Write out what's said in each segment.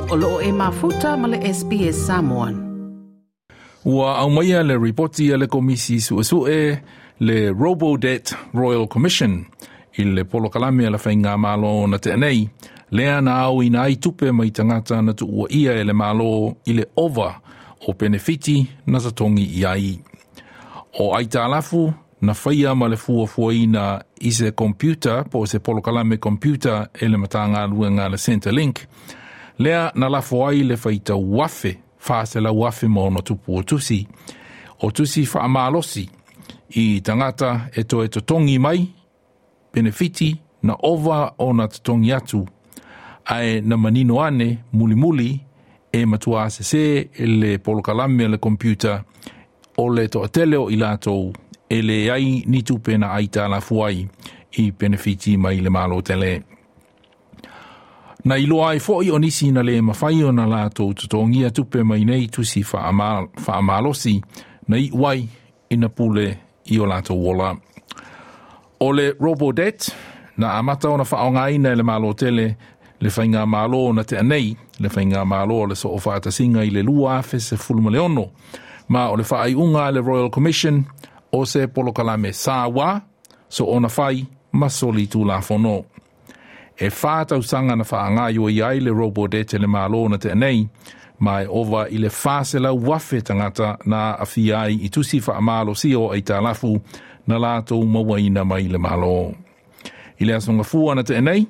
O loo e mafuta ma le SBS Samoan. Ua aumaia le ripoti a le Komisi Suesue le Robodebt Royal Commission i le polokalame a le Faigamalo na tea nei, lea na aoina ai tupe mai tagata na tuuaia e le Malo i le ova o penefiti na totogi i ai. O aitalafu na faia ma le fuafuaina i se computer po o se polokalame computer e le Matagaluega a le Centrelink, lea na lafo ai le faitau afe, 400,000 ma ono tupu o tusi, o tusi faamalosi i tagata e toe totogi mai penefiti na ova ona totogi atu, ae na manino ane mulimuli e matua sesē le polokalame a le computer o le toatele o i latou e leai ni tupe na aitalafu ai i penefiti mai le Malo tele. Na iloa ai foi o nisi na le mafai ona latou totogia tupe mai nei tusi faamalosi na iu ai ina pule i o latou ola. O le Robodebt na amata ona faaaogaina e le Malo tele le Faigamalo na tea nei, le Faigamalo o le Soofaatasiga i le 2016, ma o le faaiuga a le Royal Commission o se polokalame saua soona fai ma soli tulafono. E 4 tausaga na faagaoioi ai le Robodebt e le Malo na tea nei, ma e ova i le 400,000 tagata na aafia ai i tusi faamalosia o aitalafu na latou mauaina mai le Malo. I le aso Gafua na tea nei,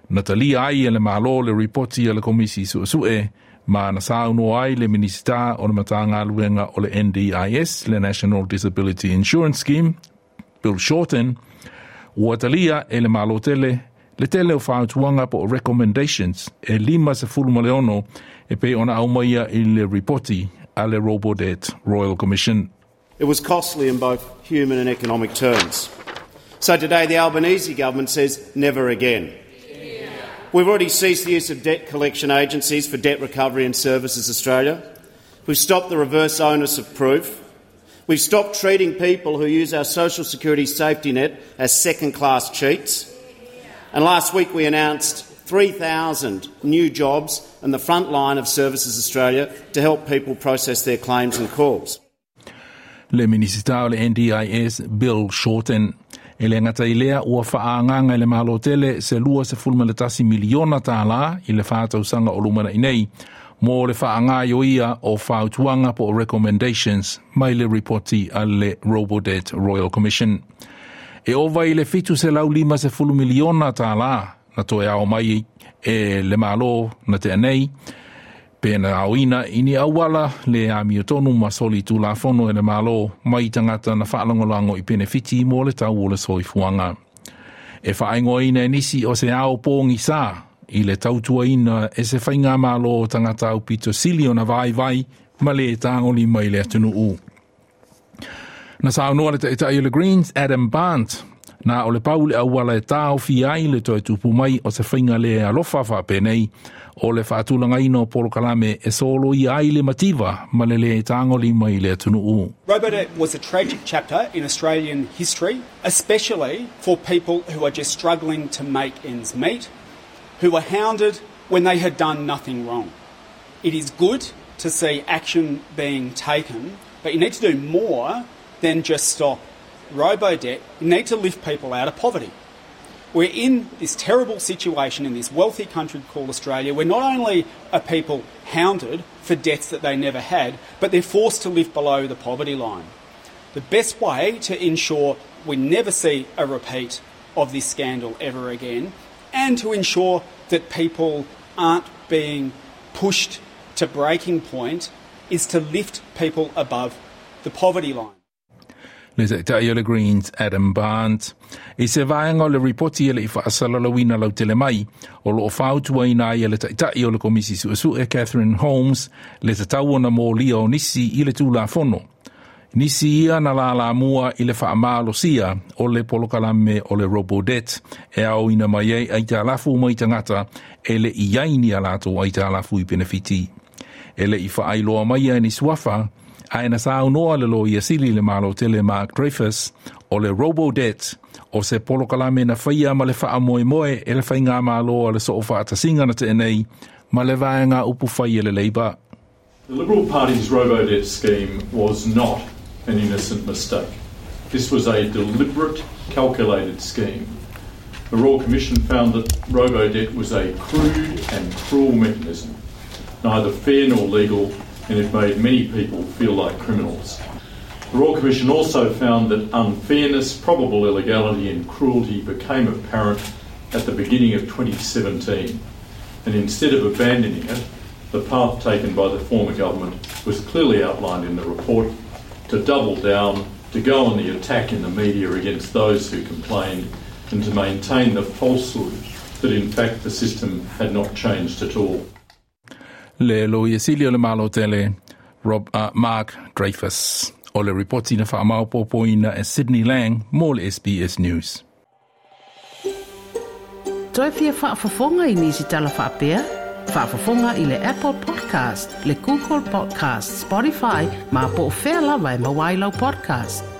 na talia ai e le Malo le ripoti a le Komisi Suesue ma na saunoa ai le Minisita o le Matagaluega o le NDIS, le National Disability Insurance Scheme, Bill Shorten, ua talia e le Malo tele le tele o fautuaga po o recommendations e 56 e pei ona aumaia i le ripoti a le Robodebt Royal Commission. It was costly in both human and economic terms. So today the Albanese government says never again. We've already ceased the use of debt collection agencies for debt recovery and Services Australia. We've stopped the reverse onus of proof. We've stopped treating people who use our social security safety net as second class cheats. And last week we announced 3,000 new jobs in the front line of Services Australia to help people process their claims and calls. Le Minisita o le NDIS Bill Shorten. E le gata i lea ua faaagaaga e le Malo tele se $21 miliona i le 4 tausaga o lumanai nei mo le faagaoioia o fautuaga po o recommendations mai le ripoti a le Robodebt Royal Commission. E ova i le $750 miliona na toe ao mai e le Malo na tea nei, pe na aoina i ni auala le amiotonu ma soli tulafono e le Malo mai tagata na faalagolago i penefiti mo le tau o le soifuaga. E faaigoaina e nisi o se ao pogisa i le tautuaina e se faigamalo o tagata aupito sili ona vaivai ma le tagolima i le atunuu. Na saunoa le taitai o le Greens, Adam Bandt, na o le pau le auala e taofi ai le toe tupu mai o se faiga le alofa faapenei o le faatulagaina o polokalame e soloia ai le mativa ma le le tagolima i le atunuu. Robodebt was a tragic chapter in Australian history, especially for people who are just struggling to make ends meet, who were hounded when they had done nothing wrong. It is good to see action being taken, but you need to do more than just stop Robodebt. You need to lift people out of poverty. We're in this terrible situation in this wealthy country called Australia, where not only are people hounded for debts that they never had, but they're forced to live below the poverty line. The best way to ensure we never see a repeat of this scandal ever again, and to ensure that people aren't being pushed to breaking point, is to lift people above the poverty line. Le taitai o le Greens Adam Bandt. I se vaega o le ripoti e le i faasalalauina lautele mai, o loo fautuaina ai e le taitai o le Komisi Suesue Catherine Holmes le tatau ona molia o nisi i le tulafono. Nisi ia na lalamua i le faamalosia o le polokalame o le Robodebt e aoina mai ai aitalafu mai tagata e le i ai ni a latou aitalafu i penefiti. E le i faailoa mai e ni suafa, ae na saunoa le loia sili le Malo tele Mark Dreyfus o le Robodebt o se polokalame na faia ma le faamoemoe e le faigamalo a le Soofaatasiga na tea nei. ma le vaega upufai a le Labour. The Liberal Party's robo-debt scheme was not an innocent mistake. This was a deliberate, calculated scheme. The Royal Commission found that robo-debt was a crude and cruel mechanism, neither fair nor legal, and it made many people feel like criminals. The Royal Commission also found that unfairness, probable illegality and cruelty became apparent at the beginning of 2017, and instead of abandoning it, the path taken by the former government was clearly outlined in the report to double down, to go on the attack in the media against those who complained, and to maintain the falsehood that in fact the system had not changed at all. Le Loia Sili o le Malo Tele, Rob, Mark Dreyfus. O le ripoti na faamaopoopoina e Sydney Lang mo le SBS News. Toe fia faafofoga i nisi tala faapea? Faafofoga i le Apple Podcast, le Google Podcast, Spotify, ma po o fea lava e maua ai lau podcast.